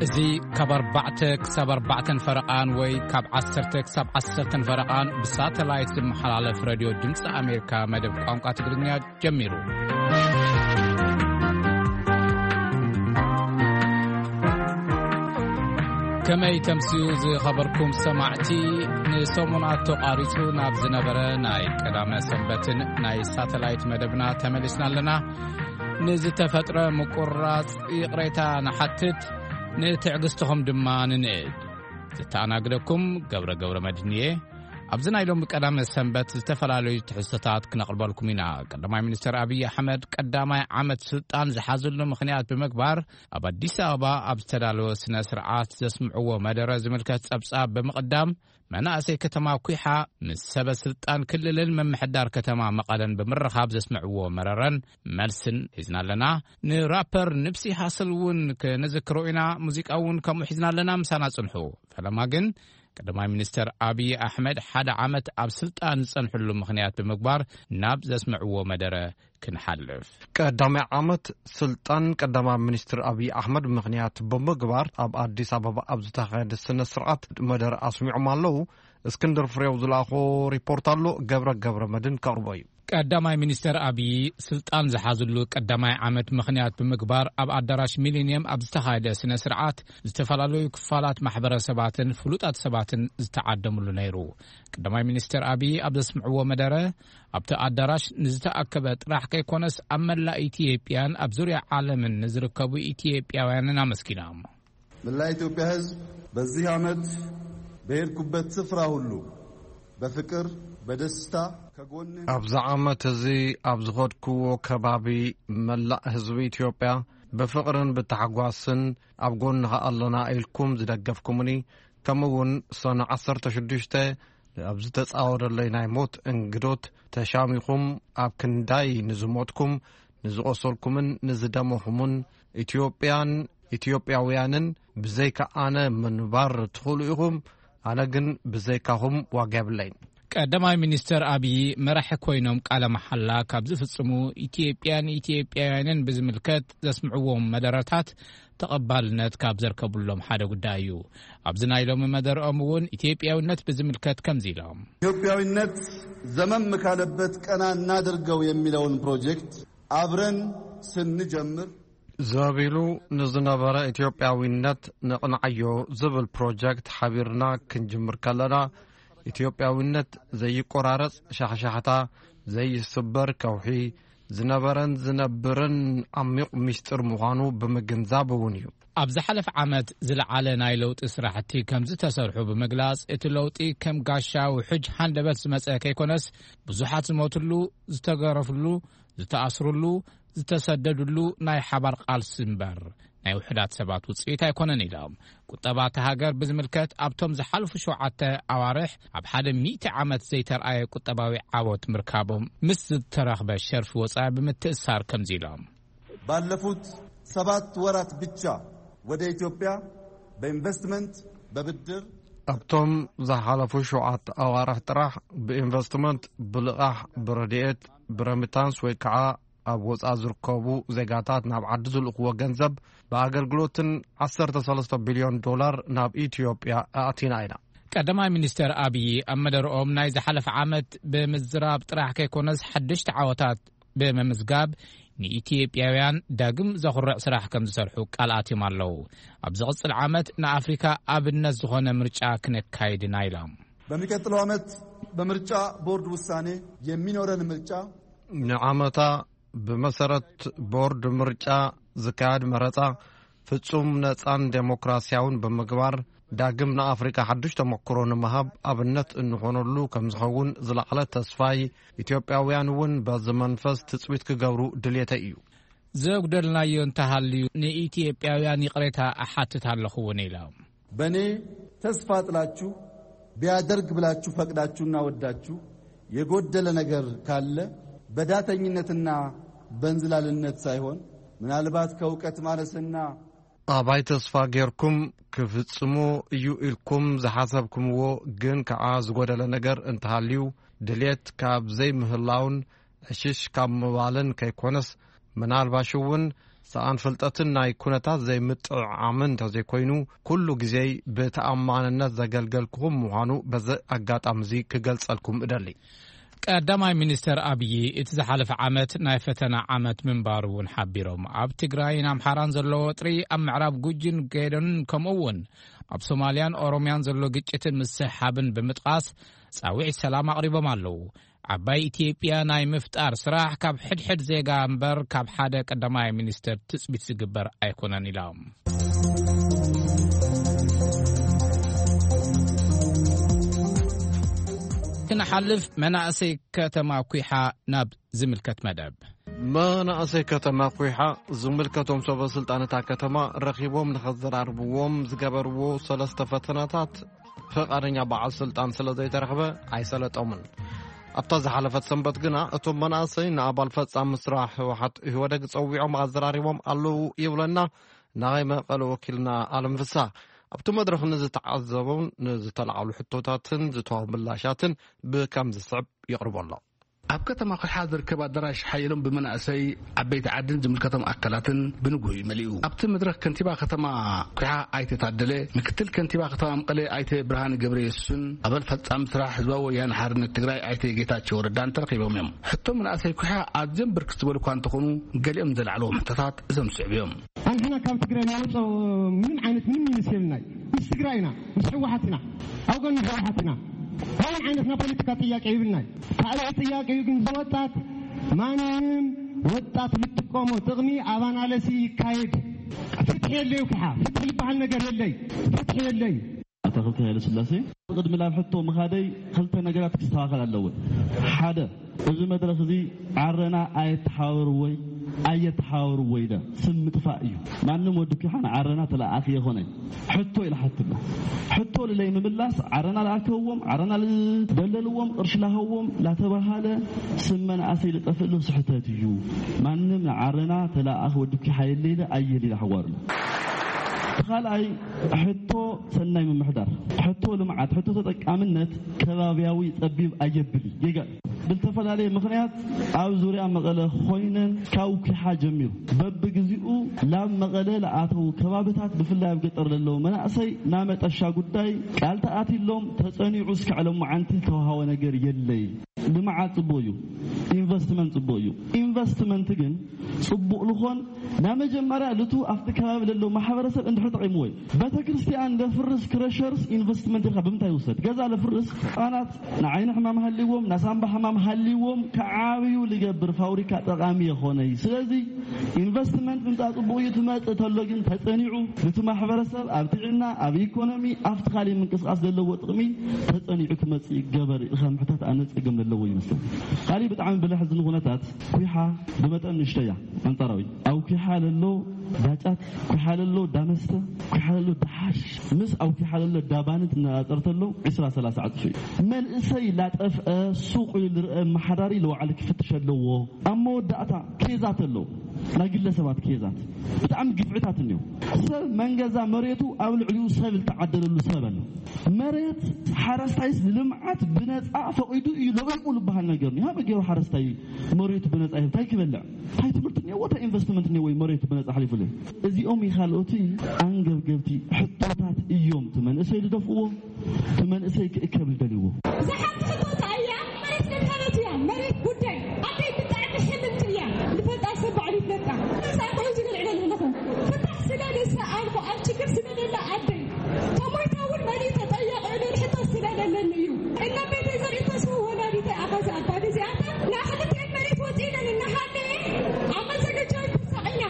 እዚ ካብ ኣርባዕተ ክሳብ ኣርባዕተን ፈረቓን ወይ ካብ ዓሰርተ ክሳብ ዓሰርተን ፈረቓን ብሳተላይት ዝመሓላለፍ ሬድዮ ድምፂ ኣሜሪካ መደብ ቋንቋ ትግርኛ ጀሚሩ። ከመይ ተምስዩ ዝኸበርኩም ሰማዕቲ፣ ንሰሙናት ተቋሪጹ ናብ ዝነበረ ናይ ቀዳመ ሰንበትን ናይ ሳተላይት መደብና ተመሊስና ኣለና። ንዝተፈጥረ ምቁራጽ ይቕሬታ ንሓትት፣ ንትዕግስትኹም ድማ ንንእድ። ዝተኣናግደኩም ገብረ ገብረ መድህን እየ። ኣብዚ ናይ ሎሚ ቀዳመ ሰንበት ዝተፈላለዩ ትሕዝቶታት ክነቕርበልኩም ኢና። ቀዳማይ ሚኒስተር ኣብይ ኣሕመድ ቀዳማይ ዓመት ስልጣን ዝሓዝሉ ምኽንያት ብምግባር ኣብ ኣዲስ ኣበባ ኣብ ዝተዳለወ ስነ ስርዓት ዘስምዕዎ መደረ ዝምልከት ጸብጻብ ብምቕዳም መናእሰይ ከተማ ኩሓ ምስ ሰበ ስልጣን ክልልን ምምሕዳር ከተማ መቐለን ብምርኻብ ዘስምዕዎ መረረን መልስን ሒዝና ኣለና። ንራፐር ንብሲ ሃስል እውን ክንዝክሮ ኢና። ሙዚቃ እውን ከምኡ ሒዝና ኣለና። ምሳና ጽንሑ። ፈለማ ግን ቀዳማይ ሚኒስተር ኣብይ ኣሕመድ ሓደ ዓመት ኣብ ስልጣን ዝጸንሕሉ ምኽንያት ብምግባር ናብ ዘስምዕዎ መደረ ክንሓልፍ። ቀዳማይ ዓመት ስልጣን ቀዳማይ ሚኒስትር ኣብይ ኣሕመድ ምኽንያት ብምግባር ኣብ ኣዲስ ኣበባ ኣብ ዝተኻየደ ስነ ስርዓት መደረ ኣስሚዖም ኣለዉ። እስክንድር ፍሬው ዝለኣኾ ሪፖርት ኣሎ፣ ገብረ ገብረ መድን ከቕርቦ እዩ። ቀዳማይ ሚኒስተር ኣብይ ስልጣን ዝሓዝሉ ቀዳማይ ዓመት ምኽንያት ብምግባር ኣብ ኣዳራሽ ሚሊኒየም ኣብ ዝተኻየደ ስነ ስርዓት ዝተፈላለዩ ክፋላት ማሕበረሰባትን ፍሉጣት ሰባትን ዝተዓደምሉ ነይሩ። ቀዳማይ ሚኒስተር ኣብይ ኣብ ዘስምዕዎ መደረ ኣብቲ ኣዳራሽ ንዝተኣከበ ጥራሕ ከይኮነስ ኣብ መላእ ኢትዮጵያን ኣብ ዙርያ ዓለምን ንዝርከቡ ኢትዮጵያውያንን ኣመስጊኖም። መላእ ኢትዮጵያ ሕዝብ በዚህ ዓመት በሄድኩበት ስፍራ ሁሉ በፍቅር በደስታ ከጎንህ ኣብዚ ዓመት እዚ ኣብ ዝኸድክዎ ከባቢ መላእ ህዝቢ ኢትዮጵያ ብፍቕርን ብታሕጓስን ኣብ ጎንኻ ኣለና ኢልኩም ዝደገፍኩምኒ፣ ከምኡ እውን ሰነ ዓሰርተ ሽዱሽተ ኣብ ዝተጻወደለይ ናይ ሞት እንግዶት ተሻሚኹም ኣብ ክንዳይ ንዝሞትኩም፣ ንዝቖሰልኩምን ንዝደመኹምን ኢትዮጵያን ኢትዮጵያውያንን ብዘይካ ኣነ ምንባር ትኽእሉ ኢኹም። ኣነ ግን ብዘይካኹም ዋጋ የብለይን። ቀዳማይ ሚኒስተር ኣብይ መራሒ ኮይኖም ቃለ መሓላ ካብ ዝፍጽሙ ኢትዮጵያን ኢትዮጵያውያንን ብዝምልከት ዘስምዕዎም መደረታት ተቐባልነት ካብ ዘርከቡሎም ሓደ ጉዳይ እዩ። ኣብዚ ናይ ሎሚ መደርኦም እውን ኢትዮጵያውነት ብዝምልከት ከምዚ ኢሎም። ኢትዮጵያዊነት ዘመም ካለበት ቀና እናድርገው የሚለውን ፕሮጀክት አብረን ስንጀምር ዘቢሉ ንዝነበረ ኢትዮጵያዊነት ንቕንዓዮ ዝብል ፕሮጀክት ሓቢርና ክንጅምር ከለና፣ ኢትዮጵያዊነት ዘይቆራረጽ ሻሕሻሕታ፣ ዘይስበር ከውሒ፣ ዝነበረን ዝነብርን ዓሚቕ ምስጢር ምዃኑ ብምግንዛብ እውን እዩ። ኣብ ዝሓለፈ ዓመት ዝለዓለ ናይ ለውጢ ስራሕቲ ከም ዝተሰርሑ ብምግላጽ፣ እቲ ለውጢ ከም ጋሻ ውሑጅ ሃንደበት ዝመጸ ከይኮነስ፣ ብዙሓት ዝሞትሉ፣ ዝተገረፍሉ፣ ዝተኣስሩሉ፣ ዝተሰደዱሉ ናይ ሓባር ቃልሲ እምበር ናይ ውሑዳት ሰባት ውጽኢት ኣይኮነን ኢሎም። ቁጠባ እታ ሃገር ብዝምልከት ኣብቶም ዝሓለፉ ሸውዓተ ኣዋርሕ ኣብ ሓደ ሚእቲ ዓመት ዘይተርኣየ ቁጠባዊ ዓወት ምርካቦም ምስ ዝተረኽበ ሸርፊ ወጻኢ ብምትእሳር ከምዚ ኢሎም። ባለፉት ሰባት ወራት ብቻ ወደ ኢትዮጵያ በኢንቨስትመንት፣ በብድር ኣብቶም ዝሓለፉ ሸውዓተ ኣዋርሕ ጥራሕ ብኢንቨስትመንት፣ ብልቓሕ፣ ብረድኤት፣ ብረሚታንስ ወይ ከዓ ኣብ ወጻኢ ዝርከቡ ዜጋታት ናብ ዓዲ ዝልእኽዎ ገንዘብ ብኣገልግሎትን ዓሰርተ ሰለስተ ቢልዮን ዶላር ናብ ኢትዮጵያ ኣእቲና ኢና። ቀዳማይ ሚኒስተር ኣብይ ኣብ መደርኦም ናይ ዝሓለፈ ዓመት ብምዝራብ ጥራሕ ከይኮነስ ሓደሽቲ ዓወታት ብምምዝጋብ ንኢትዮጵያውያን ዳግም ዘኹርዕ ስራሕ ከም ዝሰርሑ ቃል ኣትዮም ኣለዉ። ኣብ ዝቕጽል ዓመት ንኣፍሪካ ኣብነት ዝኾነ ምርጫ ክነካይድ ኢና ኢሎም። በሚቀጥለው ዓመት በምርጫ ቦርድ ውሳኔ የሚኖረን ምርጫ ንዓመታ ብመሰረት ቦርድ ምርጫ ዝካየድ መረጻ ፍጹም ነጻን ዴሞክራሲያውን ብምግባር ዳግም ንኣፍሪካ ሓድሽ ተመክሮ ንምሃብ ኣብነት እንኾነሉ ከም ዝኸውን ዝለዓለ ተስፋይ፣ ኢትዮጵያውያን እውን በዚ መንፈስ ትጽቢት ክገብሩ ድልየተይ እዩ። ዘጉደልናዮ እንተሃልዩ ንኢትዮጵያውያን ይቕሬታ እሓትት ኣለኹ እውን ኢሎም። በእኔ ተስፋ ጥላችሁ ቢያደርግ ብላችሁ ፈቅዳችሁና ወዳችሁ የጎደለ ነገር ካለ በዳተኝነትና በንዝላልነት ሳይሆን ምናልባት ከእውቀት ማነስና ኣባይ ተስፋ ጌርኩም ክፍጽሞ እዩ ኢልኩም ዝሓሰብኩምዎ ግን ከኣ ዝጎደለ ነገር እንተሃልዩ ድሌት ካብ ዘይምህላውን ዕሽሽ ካብ ምባልን ከይኮነስ ምናልባሽ እውን ሰኣን ፍልጠትን ናይ ኩነታት ዘይምጥዕዓምን እንተዘይኮይኑ፣ ኩሉ ግዜይ ብተኣማንነት ዘገልገልኩኹም ምዃኑ በዚ ኣጋጣሚ እዚ ክገልጸልኩም እደሊ። ቀዳማይ ሚኒስተር ኣብዪ፣ እቲ ዝሓለፈ ዓመት ናይ ፈተና ዓመት ምንባሩ እውን ሓቢሮም። ኣብ ትግራይን ኣምሓራን ዘሎ ወጥሪ፣ ኣብ ምዕራብ ጉጂን ጌዶን፣ ከምኡ እውን ኣብ ሶማልያን ኦሮምያን ዘሎ ግጭትን ምስሕሓብን ብምጥቓስ፣ ጻውዒት ሰላም ኣቕሪቦም ኣለዉ። ዓባይ ኢትዮጵያ ናይ ምፍጣር ስራሕ ካብ ሕድሕድ ዜጋ እምበር ካብ ሓደ ቀዳማይ ሚኒስተር ትጽቢት ዝግበር ኣይኮነን ኢሎም። ክንሓልፍ መናእሰይ ከተማ ኩሓ ናብ ዝምልከት መደብ። መናእሰይ ከተማ ኩሓ ዝምልከቶም ሰበ ስልጣን እታ ከተማ ረኺቦም ንኸዘራርብዎም ዝገበርዎ ሰለስተ ፈተናታት ፍቓደኛ በዓል ስልጣን ስለ ዘይተረኽበ ኣይሰለጦምን። ኣብታ ዝሓለፈት ሰንበት ግና እቶም መናእሰይ ንኣባል ፈጻሚ ስራሕ ህወሓት ኢህወደግ ጸዊዖም ኣዘራሪቦም ኣለዉ ይብለና ናይ መቐለ ወኪልና ኣለም ፍስሃ። ኣብቲ መድረኽ ንዝተዓዘቡን ንዝተላዕሉ ሕቶታትን ዝተዋህቡ ምላሻትን ብከም ዝስዕብ የቕርቦ ኣሎ። ኣብ ከተማ ኩሓ ዝርከብ ኣዳራሽ ሓየሎም ብመናእሰይ፣ ዓበይቲ ዓድን ዝምልከቶም ኣካላትን ብንግሆ እዩ መሊኡ። ኣብቲ መድረኽ ከንቲባ ከተማ ኩሓ ኣይተ ታደለ፣ ምክትል ከንቲባ ከተማ መቐለ ኣይተ ብርሃነ ገብረየሱስን ኣባል ፈጻሚ ስራሕ ህዝባዊ ወያነ ሓርነት ትግራይ ኣይተ ጌታቸው ረዳን ተረኺቦም እዮም። ሕቶ መናእሰይ ኩሓ ኣዝዮም ብርክት ዝበሉ እኳ እንተኾኑ፣ ገሊኦም ዘላዕለዎም ሕቶታት እዞም ዝስዕቡ እዮም። ኣንሕና ካብ ትግራይ ንወፅኦ ምን ዓይነት ምን ምስ የብልናይ፣ ምስ ትግራይ ኢና፣ ምስ ህወሓት ኢና፣ ኣብ ጎኒ ህወሓት ኢና። ካልእ ዓይነት ናይ ፖለቲካ ጥያቄ ይብልናይ። ካልእ ጥያቄ እዩ ግን ዝወጣት ማንም ወጣት ልጥቀሞ ጥቕሚ ኣብ ኣናለሲ ይካየድ። ፍትሒ የለዩ ክሓ፣ ፍትሒ ዝበሃል ነገር የለይ፣ ፍትሒ የለይ። ኣታ ክልተ ሃይለ ስላሴ፣ ቅድሚ ናብ ሕቶ ምኻደይ ክልተ ነገራት ክስተኻኸል ኣለዎ። ሓደ፣ እዚ መድረኽ እዚ ዓረና ኣየተሓባበርዎይ ኣየተሓባበርዎይ ኢለ ስም ምጥፋእ እዩ። ማንም ወዲ ኩሓ ንዓረና ተለኣኣኺ የኾነይ። ሕቶ ኢለ ሓትሎ። ሕቶ ልለይ ምምላስ፣ ዓረና ለኣከዎም፣ ዓረና ልደለልዎም፣ ቅርሺ ላሃዎም ላተባሃለ ስም መናእሰይ ልጠፍእ ሉ ስሕተት እዩ። ማንም ንዓረና ተለኣኣኺ ወዲ ኩሓ የለ ኢለ ኣየል ኢለ ሓዋርሎ። እቲ ካልኣይ ሕቶ ሰናይ ምምሕዳር፣ ሕቶ ልምዓት፣ ሕቶ ተጠቃምነት ከባብያዊ ጸቢብ ኣየብል እዩ። ጌጋ እዩ። ብዝተፈላለየ ምኽንያት ኣብ ዙርያ መቐለ ኮይነን ካብ ኩሓ ጀሚሩ በብግዚኡ ላብ መቐለ ለኣተዉ ከባብታት ብፍላይ ኣብ ገጠር ለለዉ መናእሰይ ናመጠሻ ጉዳይ ቃል ተኣቲሎም ተጸኒዑ እስካዕ ሎማዓንቲ ዝተውሃወ ነገር የለይ። ልምዓት ጽቡቕ እዩ። ኢንቨስትመንት ጽቡቕ እዩ። ኢንቨስትመንት ግን ጽቡቕ ልኾን ናመጀመርያ ልቱ ኣብቲ ከባቢ ለለዉ ማሕበረሰብ እንድሕር ጠቒምዎ እዩ። ቤተክርስትያን ለፍርስ ክረሸርስ ኢንቨስትመንት ኢልካ ብምንታይ ይውሰድ? ገዛ ለፍርስ ህፃናት ንዓይኒ ሕማም ሃልዎም ናሳምባ ሕማም ሃልዎም ከዓብዩ ልገብር ፋብሪካ ጠቓሚ የኾነይ። ስለዚ ኢንቨስትመንት ምምፃእ ጽቡቕ እዩ። ትመፅእ ተሎ ግን ተጸኒዑ ነቲ ማሕበረሰብ ኣብ ጥዕና ኣብ ኢኮኖሚ ኣብቲ ካሊእ ምንቅስቃስ ዘለዎ ጥቕሚ ተጸኒዑ ክመፅእ ይገበር ኢልካ ምሕታት ኣነ ጸገም ዘለዎ ይመስለኒ። ካሊእ ብጣዕሚ ብለሕ ዝን ኩነታት ኩሓ ብመጠን ንእሽቶ እያ። ኣንጻራዊ ኣብ ኩሓ ለሎ ዳጫት፣ ኩሓ ለሎ ዳመስተ፣ ኩሓ ለሎ ዳሓሽ ምስ ኣብ ኩሓ ለሎ ዳባን ትነጻጸር ተሎ ዒስራ ሰላሳ ዕጽፊ እዩ። መንእሰይ ላጠፍአ ሱቕ ኢሉ ዝርአ መሓዳሪ ለዋዕሊ ክፍትሽ ኣለዎ። ኣብ መወዳእታ ኬዛት ኣለዉ፣ ናይ ግለሰባት ኬዛት ብጣዕሚ ግፍዕታት እኒኦ። ሰብ መንገዛ መሬቱ ኣብ ልዕሊኡ ሰብ ዝተዓደለሉ ሰብ ኣሎ። መሬት ሓረስታይስ ንልምዓት ብነፃ ፈቒዱ እዩ ለቒቑ ዝበሃል ነገር እኒኦ። ሃመ ገይሩ ሓረስታይ መሬቱ ብነፃ ይህብ እንታይ ክበልዕ? እንታይ ትምህርቲ እኒኦ? እንታይ ኢንቨስትመንት እኒኦ? ወይ መሬቱ ብነፃ ሓሊፉ እዚኦም ይኻልኦቲ ኣንገብገብቲ ሕቶታት እዮም። እቲ መንእሰይ ዝደፍእዎ፣ እቲ መንእሰይ ክእከብ ዝደልይዎ። እዛ ሓንቲ ሕቶ እያ። መሬት ነካለት እያ። መሬት ጉዳይ ኣደይ ብጣዕሚ ሕልምቲ እያ። ንፈልጣ ሰብ ባዕሉ ይፍለጣ። ሳይኮ እዚ ልዕለ ኣለኹ። ፍታሕ ስለ ደሰ ኣልኩ ኣብ ችግር ስለ ደላ ኣደይ ተሞይታ እውን መሊእ ተጠየቕ ዕሉል ሕቶ ስለ ደለኒ እዩ። እነ ቤተይ ዘርእተስዎ ወላዲተይ ኣኻዚ ኣባዲ እዚኣታ ንኣኽልቲኤን መሬት ወፂእለን እናሃለየ ኣብ መዘገጃዊ ተሳቒና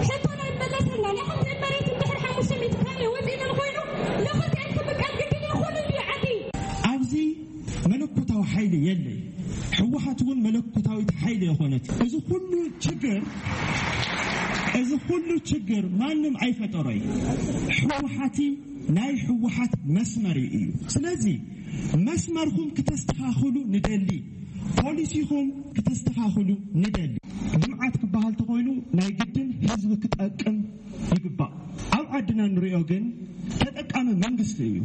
ሕቶና ይመለሰልና። ንኣኽልቲኤን መሬት እንድሕር ሓሙሽተ ሚእቲ ካሬ ወፂእለን ኮይኑ ንኽልቲኤን ክምቀል ግድን ይኹን እንዲ ዓዲ። ኣብዚ መለኮታዊ ሓይሊ የለይ። ህወሓት እውን መለኮታዊት ሓይሊ የኾነት። እዚ ኩሉ ችግር እዚ ኩሉ ችግር ማንም ኣይፈጠሮይ። ህወሓቲ ናይ ህወሓት መስመር እዩ። ስለዚ መስመርኩም ክተስተኻኽሉ ንደሊ፣ ፖሊሲኹም ክተስተኻኽሉ ንደሊ። ልምዓት ክበሃል ተኾይኑ ናይ ግድን ህዝቢ ክጠቅም ይግባእ። ኣብ ዓድና ንሪኦ ግን ተጠቃሚ መንግስቲ እዩ።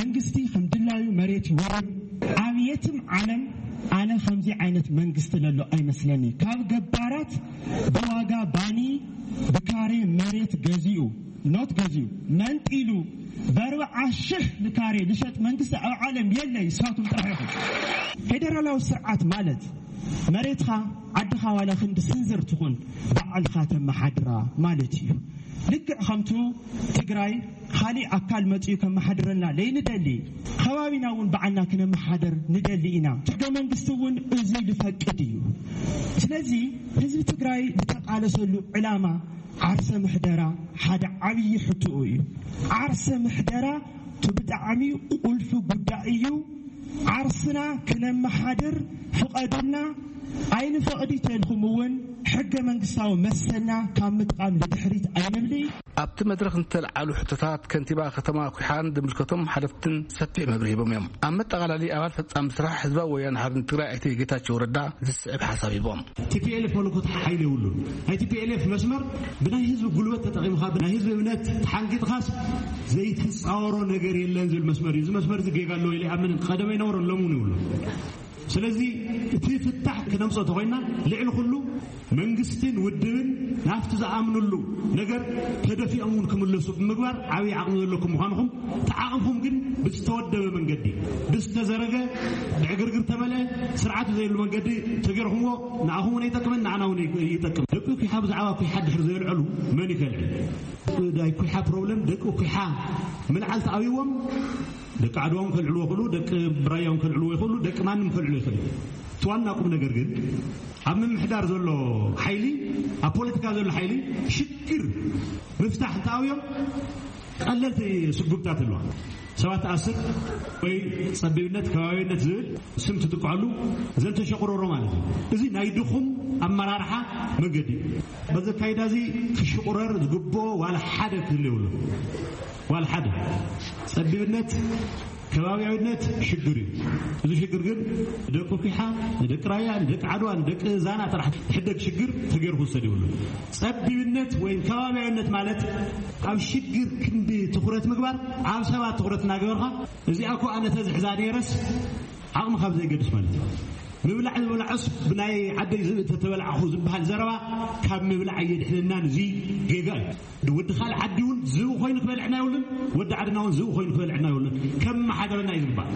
መንግስቲ ከም ድላዩ መሬት ይወርር። ኣብ የትም ዓለም ኣነ ከምዚ ዓይነት መንግስቲ ለሎ ኣይመስለኒ። ካብ ገባራት ብዋጋ ባኒ ብካሬ መሬት ገዚኡ፣ ኖት ገዚኡ፣ መንጢሉ፣ በርብዓ ሽሕ ንካሬ ልሸጥ መንግስቲ ኣብ ዓለም የለ፣ ይሳቱም ጥራሕ ኢኹም። ፌደራላዊ ስርዓት ማለት መሬትኻ፣ ዓድኻ ዋላ ክንዲ ስንዝር ትኹን፣ ባዕልኻ ተመሓድራ ማለት እዩ። ልክዕ ከምቱ ትግራይ ካሊእ ኣካል መፂኡ ከመሓድረልና ለይንደሊ፣ ከባቢና እውን ባዕልና ክነመሓደር ንደሊ ኢና። ሕገ መንግስቲ እውን እዚ ልፈቅድ እዩ። ስለዚ ህዝቢ ትግራይ ዝተቃለሰሉ ዕላማ ዓርሰ ምሕደራ ሓደ ዓብዪ ሕቶኡ እዩ። ዓርሰ ምሕደራ እቲ ብጣዕሚ ቁልፊ ጉዳይ እዩ። ዓርስና ክነመሓድር ፍቐዱልና። ኣይንፈቕድ ተልኩም እውን ሕገ መንግስታዊ መሰልና ካብ ምጥቃም ንድሕሪት ኣይንብሊ። ኣብቲ መድረኽ ዝተልዓሉ ሕቶታት ከንቲባ ከተማ ኩሓን ዝምልከቶም ሓለፍትን ሰፊሕ መብርሂ ሂቦም እዮም። ኣብ መጠቓላሊ ኣባል ፈጻሚ ስራሕ ህዝባዊ ወያነ ሓርነት ትግራይ ኣይተ ጌታቸው ረዳ ዝስዕብ ሓሳብ ሂቦም። ቲፒኤልኤፍ መለኮት ሓይሊ የብሉን። ናይ ቲፒኤልኤፍ መስመር ብናይ ህዝቢ ጉልበት ተጠቒምካ፣ ብናይ ህዝቢ እምነት ተሓንጊጥካስ ዘይትፃወሮ ነገር የለን ዝብል መስመር እዩ። እዚ መስመር እዚ ጌጋ ኣለዎ ኢለ ይኣምን። ቀደም ኣይነበሮን፣ ሎሚ እውን የብሉን። ስለዚ እቲ ፍታሕ ክነምፅኦ ተኾይና ልዕሊ ኩሉ መንግስትን ውድብን ናብቲ ዝኣምንሉ ነገር ተደፊኦም እውን ክምለሱ ብምግባር ዓብዪ ዓቕሚ ዘለኩም ምዃንኹም ተዓቕምኩም ግን ብዝተወደበ መንገዲ፣ ብዝተዘረገ፣ ብዕግርግር ተመልአ፣ ስርዓት ዘይብሉ መንገዲ ተገይርኩምዎ ንኣኹም እውን ኣይጠቅምን፣ ንዓና እውን ይጠቅም። ደቂ ኩሓ ብዛዕባ ኩሓ ድሕሪ ዘየልዐሉ መን ይከልዕል? ናይ ኩሓ ፕሮብለም ደቂ ኩሓ ምልዓል ተኣብይዎም ደቂ ዓድዋ እውን ከልዕልዎ ይኽእሉ፣ ደቂ ብራያ እውን ከልዕልዎ ይኽእሉ፣ ደቂ ማንም ከልዕልዎ ይኽእሉ። እቲ ዋና ቁም ነገር ግን ኣብ ምምሕዳር ዘሎ ሓይሊ፣ ኣብ ፖለቲካ ዘሎ ሓይሊ ሽግር ምፍታሕ እንተኣብዮም ቀለልቲ ስጉምታት ኣለዋ። ሰባት ኣስር ወይ ጸቢብነት፣ ከባቢነት ዝብል ስም ትጥቅዐሉ ዘንተሸቁረሮ ማለት እዩ። እዚ ናይ ድኹም ኣመራርሓ መንገዲ እዩ። በዚ ኣካይዳ እዚ ክሽቁረር ዝግብኦ ዋላ ሓደ ክህሉ የብሉ። ዋላ ሓደ። ጸቢብነት፣ ከባቢያዊነት ሽግር እዩ። እዚ ሽግር ግን ደቂ ኩሓ፣ ንደቂ ራያ፣ ንደቂ ዓድዋ፣ ንደቂ ዛና ጥራሕ ዝሕደግ ሽግር ተገይሩ ክውሰድ የብሉ። ጸቢብነት ወይ ከባቢያዊነት ማለት ኣብ ሽግር ክንዲ ትኹረት ምግባር ኣብ ሰባት ትኹረት እናገበርካ፣ እዚኣ እኮ ኣነ ተዝሕዛ ነይረስ ዓቕሚ ካብ ዘይገድስ ማለት እዩ። ምብላዕ ዝበላዖስ ብናይ ዓደይ ዝብኢ ተተበላዕኹ ዝበሃል ዘረባ ካብ ምብላዕ ኣየድሕነናን። እዚ ጌጋ እዩ። ወዲ ካልእ ዓዲ እውን ዝብኢ ኮይኑ ክበልዕና የብሉን፣ ወዲ ዓድና እውን ዝብኢ ኮይኑ ክበልዕና የብሉን። ከመሓደረና እዩ ዝግባእ።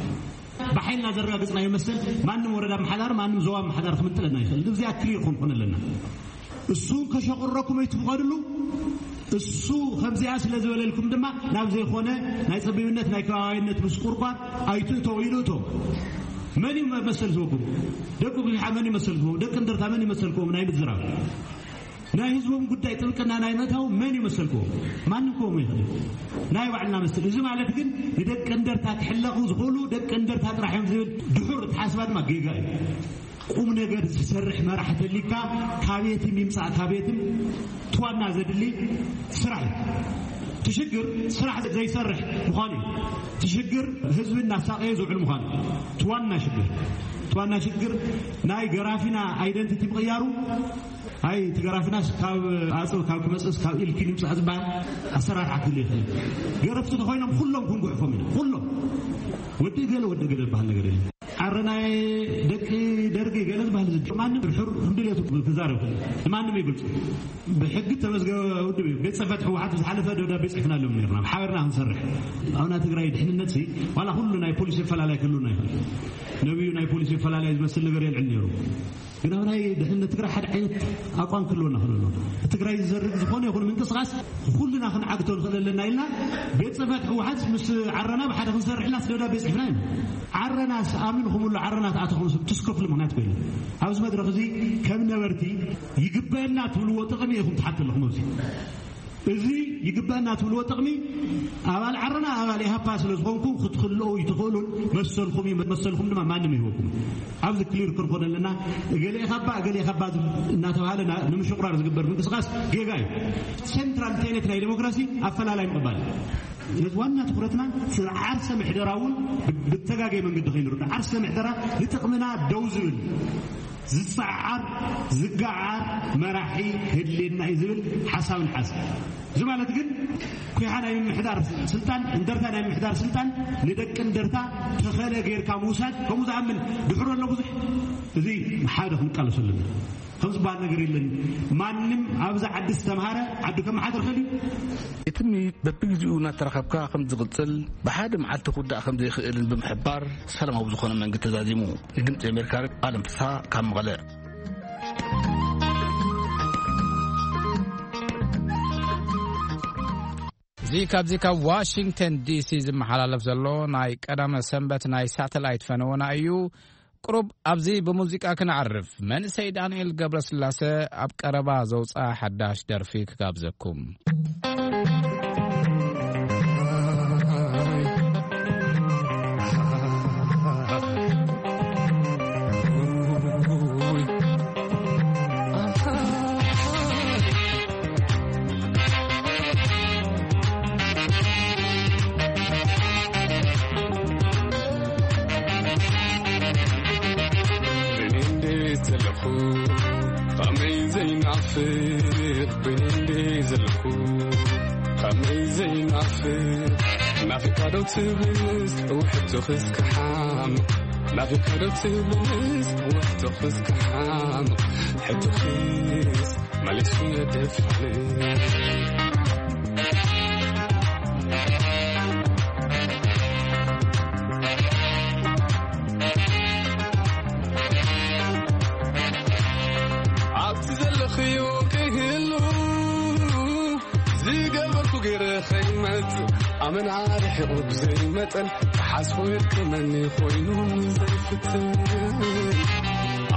ብሓይልና ዘረጋግጽናዮ መሰል ማንም ወረዳ ኣመሓዳሪ፣ ማንም ዞባ ኣመሓዳሪ ክምንጥለና ይኽእል። እዚኣ ክሊር ክንኮን ኣለና። እሱ ከሸቁረኩም ኣይትፍቐድሉ። እሱ ከምዚኣ ስለ ዝበለልኩም ድማ ናብ ዘይኮነ ናይ ጸቢብነት፣ ናይ ከባቢያዊነት ምስቁርቋር ኣይትእተው ኢሉ እቶም። መን እዩ መሰል ዝህበኩም? ደቂ ኩሓ መን እዩ መሰል ዝህቦም? ደቂ እንደርታ መን እዩ መሰል ክህቦም ናይ ምዝራብ? ናይ ህዝቦም ጉዳይ ጥብቅና ናይ ምእታው መን እዩ መሰል ክህቦም? ማንም ክህቦም ይኽእል። ናይ ባዕልና መሰል። እዚ ማለት ግን ንደቂ እንደርታ ክሕለቑ ዝኽእሉ ደቂ እንደርታ ጥራሕ እዮም ዝብል ድሑር ኣተሓሳስባ ድማ ጌጋ እዩ። ቁም ነገር ዝሰርሕ መራሕ ተሊካ ካቤትም ይምጻእ ካቤትም ትዋና ዘድሊ ስራሕ እዩ። እቲ ሽግር ስራሕ ዘይሰርሕ ምዃኑ እዩ። እቲ ሽግር ህዝቢ እናሳቀየ ዝውዕል ምዃኑ እዩ። ትዋና ሽግር፣ ትዋና ሽግር ናይ ገራፊና ኣይደንቲቲ ምቕያሩ። ኣይ እቲ ገራፊናስ ካብ ኣጽብ ካብ ክመጽእስ ካብ ኢልኪን ይምጻእ ዝበሃል ኣሰራርሓ ክህሉ ይኽእል። ገረፍቲ ተኾይኖም ኩሎም ክንጉሕፎም ኢና። ኩሎም ወዲ ገለ ወዲ ገለ ዝበሃል ነገር የለን። ዓረናይ ደቂ ደርጊ ገለ ዝበሃል ዝድ-፣ ማንም ብድሑር እንድሌቱ ክዛረብ ይኽእል። ንማንም ይግልጹ። ብሕጊ ተመዝገበ ውድብ እዩ። ቤት ጽሕፈት ህወሓት ዝሓለፈ ደብዳቤ ጽሕፍናሎም ነርና። ብሓበርና ክንሰርሕ። ኣብና ትግራይ ድሕንነት ሲ፣ ዋላ ኩሉ ናይ ፖሊሲ ኣፈላላይ ክህሉና ይኽእል። ነብዩ ናይ ፖሊሲ ኣፈላላይ ዝመስል ነገር የልዕል ነይሩ። ግን ኣብ ናይ ድሕነት ትግራይ ሓደ ዓይነት ኣቋም ክህልወና ክእል ኣሎ። ትግራይ ዝዘርግ ዝኾነ ይኹን ምንቅስቃስ ኩልና ክንዓግቶ ንኽእል ኣለና ኢልና ቤት ጽሕፈት ህወሓት ምስ ዓረና ብሓደ ክንሰርሕ ኢልና ደብዳቤ ጽሕፍና ኢና። ዓረናስ ኣሚንኹምሉ ዓረና ተኣተኹም ሰብ ትስከፍሉ ምኽንያት ኮይኑ ኣብዚ መድረኽ እዚ ከም ነበርቲ ይግበአና ትብልዎ ጥቕሚ ኢኹም ትሓቱ ኣለኹም ኣብዚ። እዚ ይግበአና ትብልዎ ጥቕሚ ኣባል ዓረና ኣባል ኢሃፓ ስለ ዝኾንኩም ክትክልኦ ይትኽእሉን መሰልኩም እዩ። መሰልኩም ድማ ማንም ይህበኩም። ኣብዚ ክሊር ክንኮን ኣለና። እገሌ ኢኻ እባ እገሌ ኢኻ እባ እናተባሃለ ና-፣ ንምሽቑራር ዝግበር ምንቅስቃስ ጌጋ እዩ። ሴንትራል ቴኔት ናይ ዴሞክራሲ ኣፈላላይ ምቕባል እዩ። ስለዚ ዋና ትኹረትና ዓርሰ ምሕደራ እውን ብተጋገየ መንገዲ ከይንርዳእ፣ ዓርሰ ምሕደራ ንጥቕምና ደው ዝብል ዝጸዓር ዝገዓር መራሒ ክህልየና እዩ ዝብል ሓሳብ ንሓዝ። እዚ ማለት ግን ኩሓ ናይ ምምሕዳር ስልጣን፣ እንደርታ ናይ ምምሕዳር ስልጣን ንደቂ እንደርታ ተኸለ ጌርካ ምውሳድ ከምኡ ዝኣምን ድሕሮ ኣሎ ብዙሕ። እዚ ሓደ ክንቃለሱ ኣለና። ዝበሃል ነገር የለን። ማንም ኣብዚ ዓዲ ዝተምሃረ ዓዱ ከመሓድር ይኽእል እዩ። እቲ ምይይጥ በብግዜኡ እናተራኸብካ ከም ዝቕጽል፣ ብሓደ መዓልቲ ክውዳእ ከም ዘይኽእልን ብምሕባር፣ ሰላማዊ ዝኾነ መንገዲ ተዛዚሙ። ንድምጺ ኣሜሪካ፣ ኣለም ፍስሃ ካብ መቐለ። እዚ ካብዚ ካብ ዋሽንግተን ዲሲ ዝመሓላለፍ ዘሎ ናይ ቀዳመ ሰንበት ናይ ሳተላይት ፈነወና እዩ። ቁሩብ ኣብዚ ብሙዚቃ ክነዕርፍ። መንእሰይ ዳንኤል ገብረስላሰ ኣብ ቀረባ ዘውፅኣ ሓዳሽ ደርፊ ክጋብዘኩም። ኣብቲ ዘለኽዮ ከይህሉ ዝገበርኩ ገይረ ኸይመጽእ ኣመና ርሒቑ ብዘይመጠን ክሓስቦ የድክመኒ ኮይኑ ዘይፍትን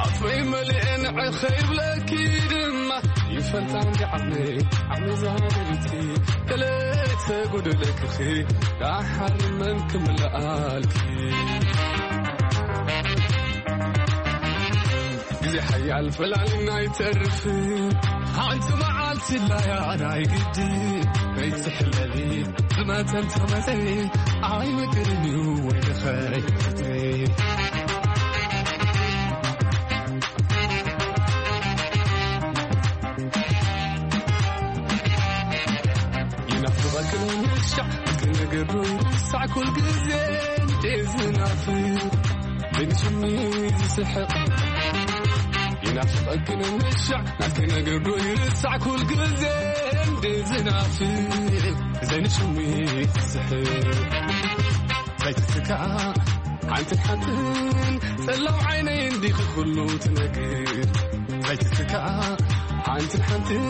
ኣፍይ መሊኤ ንዕኸ ይብለኪ ድማ ይፈልጣ እንዲ ዓቕመይ ዓቕመይ ዛደሪቲ ከለይተ ጎደለክኺ ዳሓር መን ክምልኣልኪ ግዜ ሓያል ፈላሊና ኣይተርፍ ሓንቲ መዓልቲ ላያ ናይ ግዲ ከይትሕለሊ ዝመተን ተመተኒ ኣይምቅርን እዩ ወይልኸ ይናፍቐክን ምሻዕ ክነገሩ ሳዕ ኩል ግዜ እንዴ ዝናፍቅ ግን ስሚ ዝስሕቕ ይናፍቐክን ምሻዕ ናትክነገሩ ይርሳዕ ኩል ግዜ እንዴ ዝናፍቅ ዘይንሽሚ ዝስሕቕ ዘይትትካእ ሓንትን ሓንትን ጸላም ዓይነይ እንዲኺ ኩሉ ትነግር ዘይትትካእ ሓንትን ሓንትን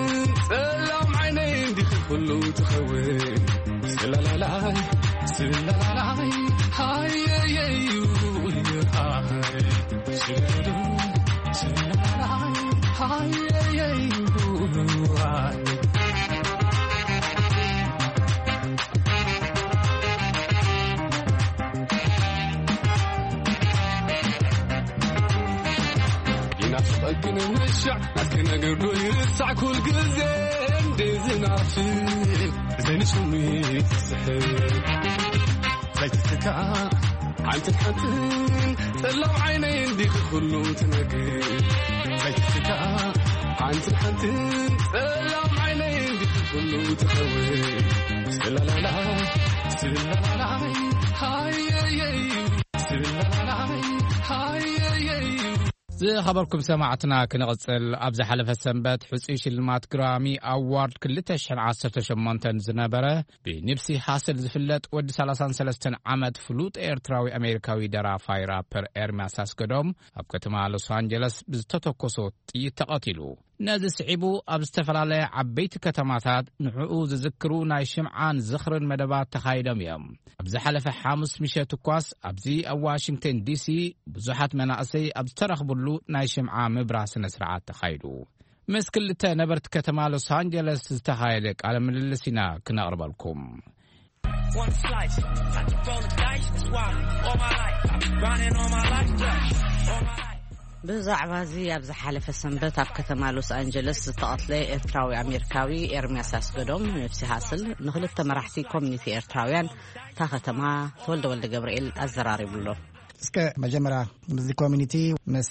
ጸላም ዓይነይ እንዲኺ ኩሉ ትኸውን ስለላላይ ስለላላይ ሃየየዩ ሃይ ስለላላይ ሃየየዩ ሃይ ይናፍቐክን ምሻዕ ናትክነገር ዶ ይርሳዕ ኩል ግዜ እንዴ ዝናፍቅ ዘይንስሙ ይስሕብ ዘይትትካእ ሓንትን ሓንትን ጸላም ዓይነይ እንዲኺ ኩሉ ትነግር ዘይትትካእ ሓንትን ሓንትን ጸላም ዓይነይ እንዲኺ ኩሉ ትኸውን ስለላላይ ስለላላይ ሃየየይ ስለላላይ ሃየየይ ዝኸበርኩም ሰማዕትና ክንቕጽል ኣብ ዝሓለፈ ሰንበት ሕፁይ ሽልማት ግራሚ ኣዋርድ ክልተ ሽሕን ዓሰርተ ሸሞንተን ዝነበረ ብኒፕሲ ሃስል ዝፍለጥ ወዲ ሰላሳን ሰለስተን ዓመት ፍሉጥ ኤርትራዊ ኣሜሪካዊ ደራፋይ ራፐር ኤርምያስ ኣስገዶም ኣብ ከተማ ሎስ ኣንጀለስ ብዝተተኮሶ ጥይት ተቐቲሉ። ነዚ ስዒቡ ኣብ ዝተፈላለያ ዓበይቲ ከተማታት ንዕኡ ዝዝክሩ ናይ ሽምዓን ዝኽርን መደባት ተኻይዶም እዮም። ኣብ ዝሓለፈ ሓሙስ ምሸት እኳስ ኣብዚ ኣብ ዋሽንግተን ዲሲ ብዙሓት መናእሰይ ኣብ ዝተረኽብሉ ናይ ሽምዓ ምብራ ስነ ስርዓት ተኻይዱ። ምስ ክልተ ነበርቲ ከተማ ሎስ ኣንጀለስ ዝተኻየደ ቃለ ምልልስ ኢና ክነቕርበልኩም። One slice, I keep on the dice, that's why all my life I've been grinding all my life, yeah, all my life. ብዛዕባ እዚ ኣብ ዝሓለፈ ሰንበት ኣብ ከተማ ሎስ ኣንጀለስ ዝተቐትለ ኤርትራዊ ኣሜሪካዊ ኤርምያስ ኣስገዶም ንብሲ ሃስል ንክልተ መራሕቲ ኮሚኒቲ ኤርትራውያን እታ ከተማ ተወልደ ወልደ ገብርኤል ኣዘራሪቡ ኣሎ። እስከ መጀመርያ ምስዚ ኮሚኒቲ ምስ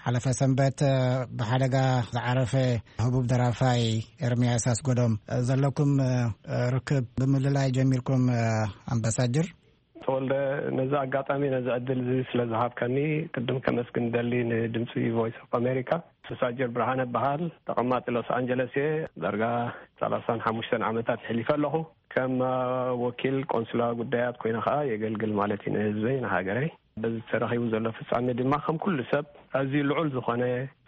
ሓለፈ ሰንበት ብሓደጋ ዝዓረፈ ህቡብ ደራፋይ ኤርምያስ ኣስገዶም ዘለኩም ርክብ ብምልላይ ጀሚርኩም ኣምባሳጅር? ወልደ፣ ነዚ ኣጋጣሚ፣ ነዚ ዕድል እዚ ስለ ዝሃብካኒ ቅድም ከመስግን ደሊ ንድምፂ ቮይስ ኦፍ ኣሜሪካ። ኣምባሳጀር ብርሃነ በሃል፣ ተቐማጢ ሎስ ኣንጀለስ እየ። ዳርጋ ሰላሳን ሓሙሽተን ዓመታት ሕሊፈ ኣለኹ። ከም ወኪል ቆንስላ ጉዳያት ኮይነ ከዓ የገልግል ማለት እዩ፣ ንህዝበይ፣ ንሃገረይ። በዚ ተረኺቡ ዘሎ ፍጻሜ ድማ ከም ኩሉ ሰብ ኣዝዩ ልዑል ዝኾነ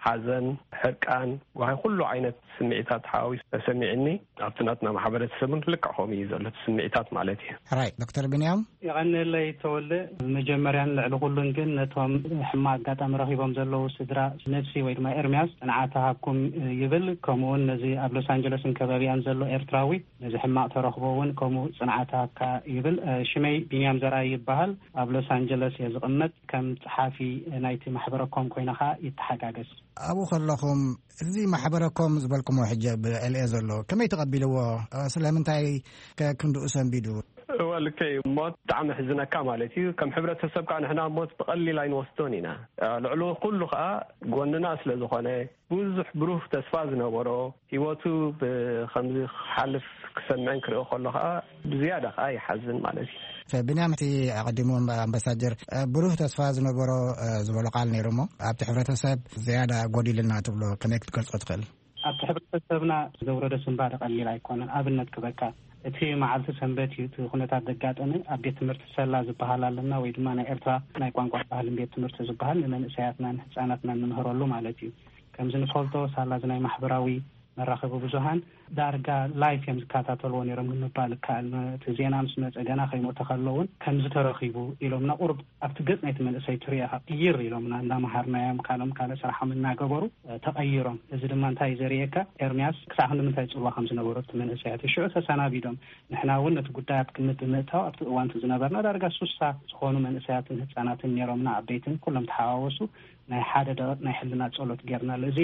ሓዘን፣ ሕርቃን፣ ጓሂ፣ ኩሉ ዓይነት ስምዒታት ሓዋዊሱ ተሰሚዕኒ። ኣብቲ ናትና ማሕበረተሰብ እውን ልክዕ ከምኡ እዩ ዘሎ፣ እቲ ስምዒታት ማለት እዩ። ሕራይ ዶክተር ቢንያም። የቐንለይ ተወልደ። መጀመርያን ልዕሊ ኩሉን ግን ነቶም ሕማቕ ኣጋጣሚ ረኺቦም ዘለዉ ስድራ ነብሲ ወይ ድማ ኤርምያስ ጽንዓት ሃብኩም ይብል። ከምኡውን ነዚ ኣብ ሎስ ኣንጀለስን ከባቢኣን ዘሎ ኤርትራዊ ነዚ ሕማቕ ተረኽቦ እውን ከምኡ ጽንዓት ሃብካ ይብል። ሽመይ ቢንያም ዘርኣይ ይበሃል። ኣብ ሎስ ኣንጀለስ እየ ዝቕመጥ። ከም ጸሓፊ ናይቲ ማሕበረ ኮም ኮይነ ኸኣ ይተሓጋገዝ። ኣብኡ ከለኹም እዚ ማሕበረ ኮም ዝበልኩሞ ሕጂ ኣብ ኤልኤ ዘሎ ከመይ ተቐቢልዎ? ስለምንታይ ከ ክንድኡ ሰንቢዱ? እወ፣ ልክዕ እዩ። ሞት ብጣዕሚ ሕዝነካ ማለት እዩ። ከም ሕብረተሰብ ከዓ ንሕና ሞት ብቐሊል ኣይንወስዶን ኢና። ልዕሊ ኩሉ ከዓ ጎንና ስለ ዝኾነ፣ ብዙሕ ብሩህ ተስፋ ዝነበሮ፣ ህይወቱ ብኸምዚ ክሓልፍ ክሰምዕን ክርእዮ ከሎ ከዓ ብዝያዳ ከዓ ይሓዝን ማለት እዩ። ብንያም፣ እቲ ኣቐዲሙ ኣምባሳጀር ብሩህ ተስፋ ዝነበሮ ዝበሎ ቃል ነይሩ እሞ፣ ኣብቲ ሕብረተሰብ ዝያዳ ጎዲሉና ትብሎ ከመይ ክትገልጾ ትኽእል? ኣብቲ ሕብረተሰብና ዘውረዶ ስንባደ ቀሊል ኣይኮነን። ኣብነት ክበካ፣ እቲ መዓልቲ ሰንበት እዩ እቲ ኩነታት ዘጋጠመ። ኣብ ቤት ትምህርቲ ሰላ ዝበሃል ኣለና፣ ወይ ድማ ናይ ኤርትራ ናይ ቋንቋ ባህልን ቤት ትምህርቲ ዝበሃል፣ ንመንእሰያትናን ህጻናትናን ንምህረሉ ማለት እዩ። ከምዚ ንፈልጦ፣ ሳላ እዚ ናይ ማሕበራዊ መራኸቢ ብዙሃን ዳርጋ ላይፍ እዮም ዝከታተልዎ ነይሮም ንምባል ይከኣል። እቲ ዜና ምስ መጸ፣ ገና ከይሞተ ከሎ እውን ከምዚ ተረኺቡ ኢሎምና። ቁሩብ ኣብቲ ገጽ ናይቲ መንእሰይ ትሪኦ ኢኻ፣ ቅይር ኢሎምና፣ እንዳመሃርናዮም ካልኦም ካልእ ስራሖም እናገበሩ፣ እ፣ ተቐይሮም። እዚ ድማ እንታይ እዩ ዘርእየካ? ኤርምያስ ክሳዕ ክንዲ ምንታይ ጽልዋ ከም ዝነበሮ እቲ መንእሰያት ሽዑ ተሰናቢዶም። ንሕና እውን ነቲ ጉዳይ ኣብ ግምት ብምእታው ኣብቲ እዋን እቲ ዝነበርና ዳርጋ ሱሳ ዝኾኑ መንእሰያትን ህጻናትን ነይሮምና፣ ዓበይትን ኩሎም ተሓዋወሱ። ናይ ሓደ ደቂቕ ናይ ሕልና ጸሎት ጌርናሉ። እዚ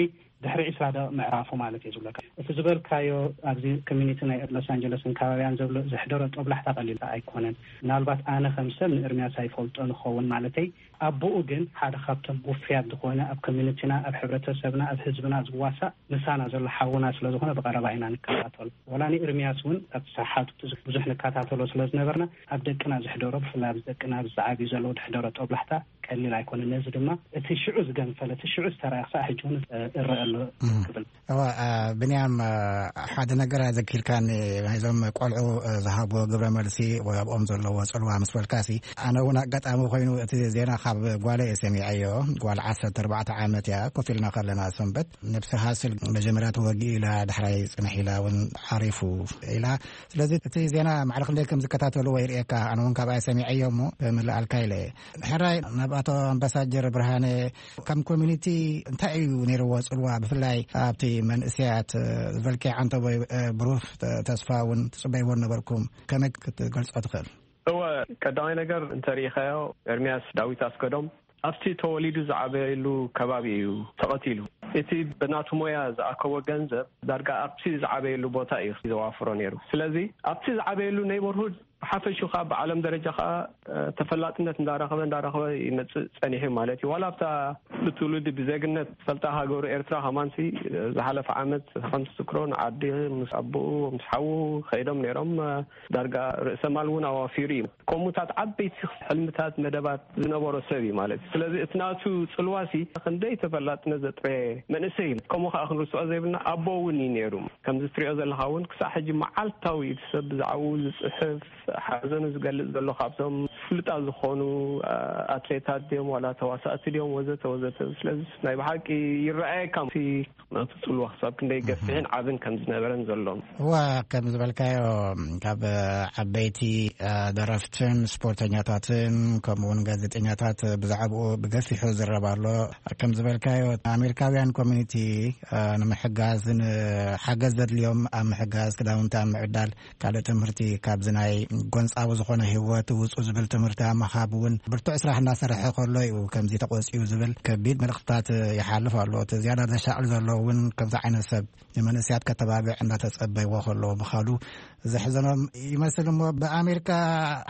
ድሕሪ ዕስራ ደቂቕ ምዕራፉ ማለት እየ ዝብለካ። እቲ ዝበልካዮ ኣብዚ ኮሚኒቲ ናይ ሎስ ኣንጀለስን ከባቢያን ዘሎ ዘሕደሮ ጦብላሕታ ቀሊል ኣይኮነን። ምናልባት ኣነ ከም ሰብ ንኤርምያስ ኣይፈልጦ ንኸውን ማለተይ፣ ኣቦኡ ግን ሓደ ካብቶም ውፍያት ዝኾነ ኣብ ኮሚኒቲና፣ ኣብ ሕብረተሰብና፣ ኣብ ህዝብና ዝዋሳእ ምሳና ዘሎ ሓውና ስለ ዝኾነ ብቐረባ ኢና ንከታተሎ። ወላ ንኤርምያስ እውን ኣብቲ ሰሓቱ ብዙሕ ንከታተሎ ስለ ዝነበርና ኣብ ደቅና ዘሕደሮ፣ ብፍላይ ኣብዚ ደቅና ኣብዚ ዝዓብዩ ዘለዉ ዘሕደሮ ጦብላሕታ ቀሊል ኣይኮነን። ነዚ ድማ እቲ ሽዑ ዝገንፈለ፣ እቲ ሽዑ ዝተረኣየ ክሳዕ ሕጂ እውን እረአ ኣሎ ክብል። እዋ፣ አ፣ ብንያም፣ አ፣ ሓደ ነገር ኣዘኪርካኒ፣ ናይዞም ቆልዑ፣ አ፣ ዝሃብዎ ግብረ መልሲ ወይ ኣብኦም ዘለዎ ጽልዋ ምስ በልካሲ፣ ኣነ እውን ኣጋጣሚ ኮይኑ እቲ ዜና ካብ ጓለይ እየ ሰሚዐዮ። ጓል ዓሰርተ ኣርባዕተ ዓመት እያ። ኮፍ ኢልና ከለና ሰንበት፣ ነብሲ ሃስል መጀመርያ ተወጊኡ ኢላ፣ ዳሕራይ ጽንሕ ኢላ እውን ዓሪፉ ኢላ። ስለዚ እቲ ዜና ማዕረ ክንደይ ከም ዝከታተልዎ ይርእየካ። ኣነ እውን ካብኣ ሰሚዐዮ እሞ ብምልኣልካ ኢለ እየ። ሕራይ፣ ናብ ኣቶ ኣምባሳጀር ብርሃነ፣ ከም ኮሚኒቲ እንታይ እዩ ነይርዎ ጽልዋ፣ ብፍላይ ኣብቲ መንእሰያት፣ እ፣ ዝበልካዮ ዓንተቦይ፣ እ፣ ብሩህ ተ-፣ ተስፋ እውን ትጽበይዎ ነበርኩም፣ ከመይ ክትገልጾ ትኽእል? እወ፣ ቀዳማይ ነገር እንተሪኢኻዮ፣ ኤርምያስ ዳዊት ኣስገዶም ኣብቲ ተወሊዱ ዝዓበየሉ ከባቢ እዩ ተቐቲሉ። እቲ ብናቱ ሞያ ዝኣከቦ ገንዘብ ዳርጋ ኣብቲ ዝዓበየሉ ቦታ እዩ ዘዋፍሮ ነይሩ። ስለዚ ኣብቲ ዝዓበየሉ ኔይቦርሁድ ብሓፈሽኡ ኸኣ ብዓለም ደረጃ ኸኣ፣ እ፣ ተፈላጥነት እንዳረኸበ፣ እንዳረኸበ ይመጽእ ጸኒሑ ማለት እዩ። ዋላ ኣብታ ብትውልዲ ብዜግነት ዝፈልጣ ሃገሩ ኤርትራ ከማንሲ፣ እ፣ ዝሓለፈ ዓመት ከም ትዝክሮ ንዓዲ ምስ ኣቦኡ ምስ ሓዉ ከይዶም ነይሮም። እ፣ ዳርጋ ርእሰ ማል እውን ኣዋፊሩ እዩ። ከምኡታት ዓበይቲ ሕልምታት፣ መደባት ዝነበሮ ሰብ እዩ ማለት እዩ። ስለዚ እቲ ናቱ ጽልዋሲ ክንደይ ተፈላጥነት ዘጥረየ መንእሰይ እዩ። ከምኡ ኸኣ ክንርስዖ ዘይብልና ኣቦ እውን እዩ ነይሩ። ከምዚ ትሪኦ ዘለኻ እውን ክሳዕ ሕጂ መዓልታዊ እቲ ሰብ ብዛዕባኡ ዝጽሕፍ፣ ሓዘኑ ዝገልጽ ዘሎ ካብቶም ፍሉጣት ዝኾኑ፣ አ፣ ኣትሌታት ድዮም ዋላ ተዋሳእቲ ድዮም ወዘተ ወዘተ። ስለዚ ናይ ብሓቂ ይረኣየካ እቲ ናቱ ጽልዋ ክሳብ ክንደይ ገፊሕን ዓብን ከም ዝነበረን ዘሎን። እዋ፣ ከም ዝበልካዮ ካብ ዓበይቲ፣ አ፣ ደረፍትን ስፖርተኛታትን ከምኡ እውን ጋዜጠኛታት ብዛዕባኡ ብገፊሑ ዝረብ ኣሎ። ከም ዝበልካዮ ኣሜሪካውያን ኮሚኒቲ፣ አ፣ ንምሕጋዝ፣ ንሓገዝ ዘድልዮም ኣብ ምሕጋዝ፣ ክዳውንቲ ኣብ ምዕዳል፣ ካልእ ትምህርቲ ካብዚ ናይ ጎንጻዊ ዝኾነ ህይወት ውጹ ዝብል ትምህርቲ ኣብ ምሃብ እውን ብርቱዕ ስራሕ እናሰርሐ ከሎ እዩ ከምዚ ተቆጺኡ ዝብል ከቢድ መልእኽትታት ይሓልፍ ኣሎ። እቲ ዝያዳ ዘሻቕል ዘሎ እውን ከምዚ ዓይነት ሰብ ንመንእሰያት ከተባብዕ እናተጸበይዎ ከሎ ምኻዱ ዘሕዘኖም ይመስል። እሞ ብኣሜሪካ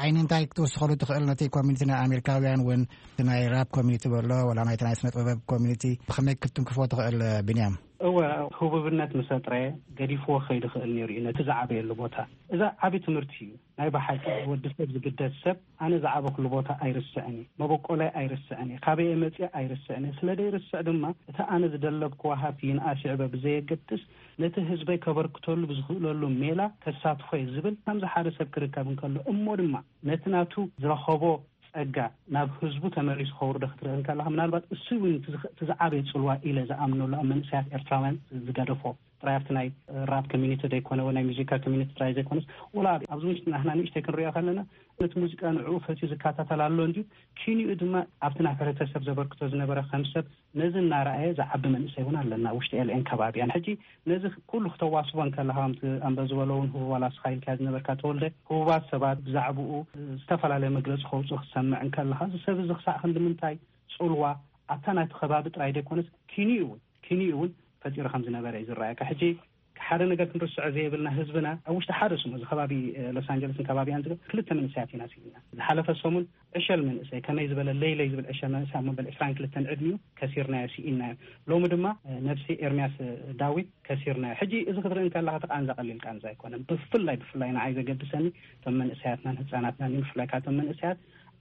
ዓይኒ እንታይ ክትውስኸሉ ትኽእል? ነቲ ኮሚኒቲ ናይ ኣሜሪካውያን እውን፣ እቲ ናይ ራፕ ኮሚኒቲ በሎ፣ ወላ ናይቲ ናይ ስነ ጥበብ ኮሚኒቲ ብኸመይ ክትንክፎ ትኽእል ብንያም? እወ፣ ህቡብነት ምስ ኣጥረየ ገዲፍዎ ክኸይድ ይኽእል ነይሩ እዩ ነቲ ዝዓበየሉ ቦታ። እዛ ዓቢ ትምህርቲ እዩ። ናይ ብሓቂ ወዲ ሰብ ዝግደስ ሰብ ኣነ ዝዓበኹሉ ቦታ ኣይርስዕን እየ፣ መበቆላይ ኣይርስዕን እየ፣ ካበይ እየ መፅየ ኣይርስዕን እየ። ስለ ዘይርስዕ ድማ እቲ ኣነ ዝደለብክዎ ሃብቲ ይንኣስ ይዕበ ብዘየገድስ ነቲ ህዝበይ ከበርክተሉ ብዝኽእለሉ ሜላ ከሳትፎ እየ ዝብል ከምዚ ሓደ ሰብ ክርከብ እንከሎ እሞ ድማ ነቲ ናቱ ዝረኸቦ ጸጋ ናብ ህዝቡ ተመሊሱ ከውርዶ ክትርኢ እንከለኻ፣ ምናልባት እሱ እውን እቲ ዝኸ-፣ እቲ ዝዓበየ ጽልዋ ኢለ ዝኣምነሉ ኣብ መንእሰያት ኤርትራውያን ዝገደፎ ጥራይ ኣብቲ ናይ ራፕ ኮሚኒቲ ዘይኮነ ወይ ናይ ሙዚቃ ኮሚኒቲ ጥራይ ዘይኮነስ፣ ወላ ኣብዚ ውሽጢ ናህና ንእሽተይ ክንሪኦ ከለና ነቲ ሙዚቃ ንዕኡ ፈትዩ ዝከታተል ኣሎ እንድዩ፣ ኪንኡ ድማ ኣብቲ ናብ ሕብረተሰብ ዘበርክቶ ዝነበረ ከም ሰብ ነዚ እናረኣየ ዝዓቢ መንእሰይ እውን ኣለና ውሽጢ ኤልኤን ከባቢያን። ሕጂ ነዚ ኩሉ ክተዋስቦ እንከለኻ ከምቲ ኣንበ ዝበሎ እውን ህቡ ዋላ ስኻ ኢልካ ዝነበርካ ተወልደ፣ ህቡባት ሰባት ብዛዕባኡ ዝተፈላለየ መግለፂ ከውፅኡ ክትሰምዕ እንከለኻ እዚ ሰብ እዚ ክሳዕ ክንዲ ምንታይ ጽልዋ ኣብታ ናይቲ ከባቢ ጥራይ ዘይኮነስ ኪንኡ እውን ኪንኡ እውን ፈጢሩ ከም ዝነበረ እዩ ዝረኣየካ። ሕጂ ሓደ ነገር ክንርስዖ ዘይብልና ህዝብና ኣብ ውሽጢ ሓደ ስሙ እዚ ከባቢ ሎስ ኣንጀለስን ከባቢያን ዝብል ክልተ መንእሰያት ኢና ስኢና። ዝሓለፈ ሰሙን ዕሸል መንእሰይ ከመይ ዝበለ ለይለይ ዝብል ዕሸል መንእሰይ ኣብ መበል ዕስራን ክልተን ዕድሚኡ ከሲርናዮ ስኢናዮ። ሎሚ ድማ ነብሲ ኤርሚያስ ዳዊት ከሲርናዮ። ሕጂ እዚ ክትርኢ እንከለኻ እቲ ቃንዛ ቀሊል ቃንዛ ኣይኮነን። ብፍላይ ብፍላይ ንዓይ ዘገድሰኒ እቶም መንእሰያትናን ህፃናትናን እዩ። ብፍላይ ካብቶም መንእሰያት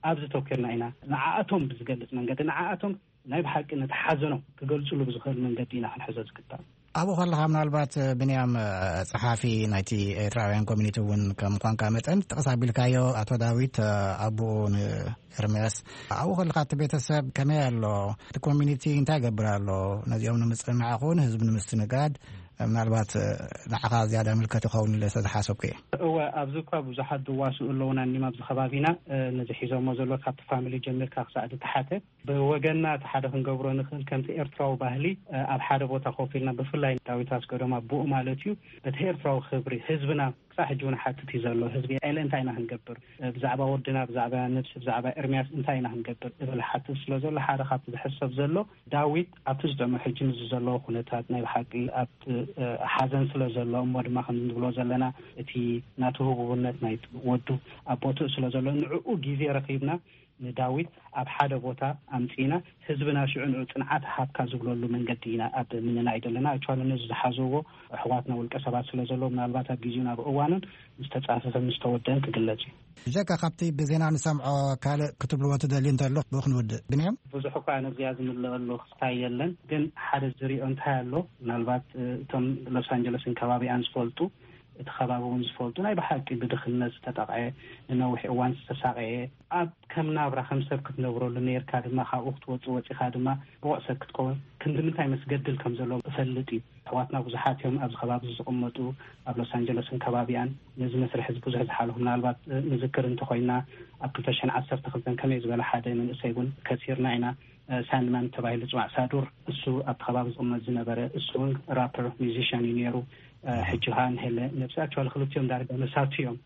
ኣብዚ ተኪርና ኢና ንዓኣቶም ብዝገልፅ መንገዲ ንዓኣቶም ናይ ብሓቂ ነቲ ሓዘኖም ክገልፅሉ ብዝኽእል መንገዲ ኢና ክንሕዞ ዝግባእ። ኣብኡ ከለኻ ምናልባት ብንያም ጸሓፊ ናይቲ ኤርትራውያን ኮሚኒቲ እውን ከም ምዃንካ መጠን ጠቕስ ኣቢልካዮ ኣቶ ዳዊት ኣቦኡ ንኤርምያስ ኣብኡ ከለኻ እቲ ቤተሰብ ከመይ ኣሎ? እቲ ኮሚኒቲ እንታይ ይገብር ኣሎ? ነዚኦም ንምጽንናዕ ኹን ህዝቢ ንምስትንጋድ ምናልባት ንዓኻ ዝያዳ ምልከት ይኸውን ኢለ ስለዝሓሰብኩ እየ። እወ ኣብዚ እኳ ብዙሓት ዝዋስኡ ኣለውና እኒም ኣብዚ ከባቢና ነዚ ሒዞሞ ዘሎ ካብቲ ፋሚሊ ጀሚርካ ክሳዕ ዝተሓተ ብወገንና እቲ ሓደ ክንገብሮ ንኽእል ከምቲ ኤርትራዊ ባህሊ ኣብ ሓደ ቦታ ኮፍ ኢልና ብፍላይ ዳዊት ኣስገዶም ኣቦኡ ማለት እዩ በቲ ኤርትራዊ ክብሪ ህዝብና ክሳብ ሕጂ እውን ሓትት እዩ ዘሎ። ህዝቢ ኤለ እንታይ ኢና ክንገብር ብዛዕባ ወድና ብዛዕባ ነብሲ ብዛዕባ ኤርምያስ እንታይ ኢና ክንገብር እብል ሓትት ስለ ዘሎ ሓደ ካብቲ ዝሕሰብ ዘሎ ዳዊት ኣብቲ ዝጠመ ሕጂ ንዚ ዘለዎ ኩነታት ናይ ብሓቂ ኣብቲ ሓዘን ስለ ዘሎ እሞ ድማ ከም ንብሎ ዘለና እቲ ናቲ ህቡብነት ናይ ወዱ ኣብ ቦትኡ ስለ ዘሎ ንዕኡ ግዜ ረኺብና ንዳዊት ኣብ ሓደ ቦታ ኣምጺእና ህዝብና ሽዑ ንዑ ጽንዓት ሃብካ ዝብለሉ መንገዲ ኢና ኣብ ምንናይ ዘለና። ኣክቹዋሊ ነዚ ዝሓዝዎ ኣሕዋትና ውልቀ ሰባት ስለ ዘለዉ ምናልባት ኣብ ግዜኡን ኣብ እዋኑን ምስ ተጻፈፈ ምስ ተወደአን ክግለጽ እዩ። ብጀካ ካብቲ ብዜና ንሰምዖ ካልእ ክትብልዎ ትደልዩ እንተሎ ብኡ ክንውድእ። ብንያም? ብዙሕ እኳ ነዚኣ ዝምልአሉ ክስታይ የለን፣ ግን ሓደ ዝሪኦ እንታይ ኣሎ ምናልባት እቶም ሎስ ኣንጀለስን ከባቢኣን ዝፈልጡ እቲ ከባቢ እውን ዝፈልጡ ናይ ብሓቂ ብድኽነት ዝተጠቕዐ ንነዊሕ እዋን ዝተሳቐየ ኣብ ከም ናብራ ከም ሰብ ክትነብረሉ ነርካ ድማ ካብኡ ክትወፅእ ወፂኻ ድማ ብቑዕ ሰብ ክትከውን ክንዲ ምንታይ መስገድል ከም ዘሎ እፈልጥ እዩ። ኣሕዋትና ብዙሓት እዮም ኣብዚ ከባቢ ዝቕመጡ ኣብ ሎስ ኣንጀለስን ከባቢኣን ነዚ መስርሕ እዚ ብዙሕ ዝሓለፉ ምናልባት ንዝክር እንተኮይና ኣብ ክልተ ሽሕን ዓሰርተ ክልተን ከመይ ዝበለ ሓደ መንእሰይ እውን ከሲርና ኢና። ሳንድማን ተባሂሉ ዝፅዋዕ ሳዱር እሱ ኣብቲ ከባቢ ዝቕመጥ ዝነበረ እሱ እውን ራፐር ሚዚሽያን እዩ ነይሩ። ሕጂ ከዓ ንሄለ ነብሲ ኣክቹዋሊ ክልቲኦም ዳርጋ መሳቱ እዮም።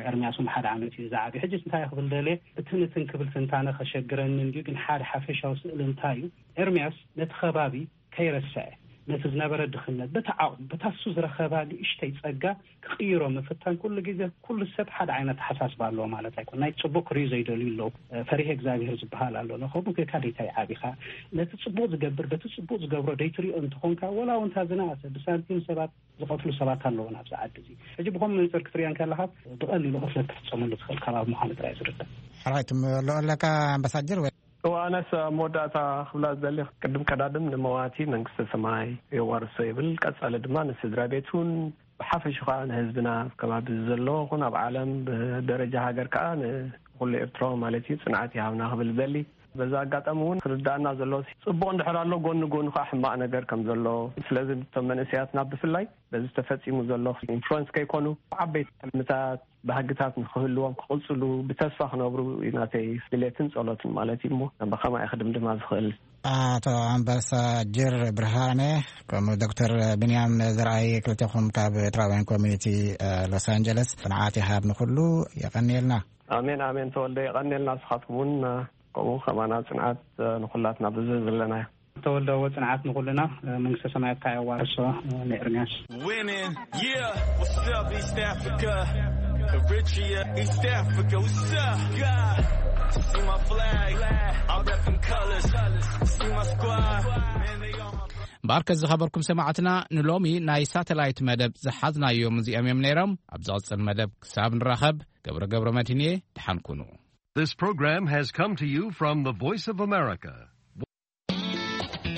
ኤርሚያስ እውን ሓደ ዓመት እዩ ዝዓብዩ። ሕጂ እንታይ ክብል ደልየ እቲ ንትን ክብል ትንታነ ከሸግረኒ እንድዩ ግን ሓደ ሓፈሻዊ ስእሊ እንታይ እዩ ኤርሚያስ ነቲ ከባቢ ከይረስዐ ነቲ ዝነበረ ድኽነት በቲ ዓቕሙ በታ እሱ ዝረኸባ ንእሽተይ ጸጋ ክቕይሮ ምፍታን ኩሉ ግዜ ኩሉ ሰብ ሓደ ዓይነት ኣሓሳስባ ኣለዎ ማለት ኣይኮን ናይ ጽቡቅ ክርእዩ ዘይደልዩ ኣለዉ ፈሪሄ እግዚኣብሔር ዝበሃል ኣሎ ንኸቡ ጌካ ደይታይ ዓቢኻ ነቲ ጽቡቅ ዝገብር በቲ ጽቡቅ ዝገብሮ ደይትሪኦ እንተኾንካ ወላ ውንታ ዝነኣሰ ብሳንቲም ሰባት ዝቐትሉ ሰባት ኣለዉ ናብዚ ዓዲ እዚ ሕጂ ብኸም መንፅር ክትሪኦ እንከለኻ ብቐሊሉ ቅትለት ክፍፀመሉ ትኽእል ከባቢ ምዃኑ ጥራይ ዝርዳእ ሕራይ ትምልኦ ኣለካ ኣምባሳጀር ወይ እዋነስ ኣብ መወዳእታ ክብላ ዝደሊ ቅድም ቀዳድም ንመዋቲ መንግስተ ሰማይ የዋርሶ ይብል ቀጻሊ ድማ ንስድራ ቤቱን ብሓፈሽ ከዓ ንህዝብና ከባቢ ዘሎ ኹን ኣብ ዓለም ብደረጃ ሃገር ከዓ ንኩሉ ኤርትራዊ ማለት እዩ ጽንዓት ይሃብና ክብል ዝደሊ በዛ ኣጋጣሚ እውን ክርዳእና ዘሎ ጽቡቕ እንድሕር ኣሎ ጎኒ ጎኑ ከዓ ሕማቕ ነገር ከም ዘሎ ስለዚ እቶም መንእሰያትና ብፍላይ በዚ ተፈጺሙ ዘሎ ኢንፍሉንስ ከይኮኑ ዓበይቲ ሕልምታት ባህግታት ንክህልዎም ክቕፅሉ ብተስፋ ክነብሩ ናተይ ድሌትን ፀሎትን ማለት እዩ እሞ ብኸማይ ክድምድማ ዝኽእል ኣቶ ኣምባሳጀር ብርሃነ ከምኡ ዶክተር ብንያም ዘርኣይ ክልተኹም ካብ ኤርትራውያን ኮሚኒቲ ሎስ ኣንጀለስ ፅንዓት ይሃብ ንኩሉ የቐንየልና ኣሜን ኣሜን ተወልደ የቐንየልና ስኻትኩም እውን ከምኡ ከማና ፅንዓት ንኩላትና ብዝህ ዘለና ተወልደዎ ፅንዓት ንኩልና መንግስተ ሰማያት ካያ ዋርሶ ንኤርሚያስ Women, yeah, what's up, East Africa? Eritrea, East Africa, what's up? God, see my flag, I rep them colors. See my squad, man, they all my እምበኣርከ ዝኸበርኩም ሰማዕትና፣ ንሎሚ ናይ ሳተላይት መደብ ዝሓዝናዮም እዚኦም እዮም ነይሮም። ኣብ ዝቕጽል መደብ ክሳብ ንራኸብ፣ ገብረ ገብረ መድህን እየ። ደሓን ኩኑ። This program has come to you from the Voice of America,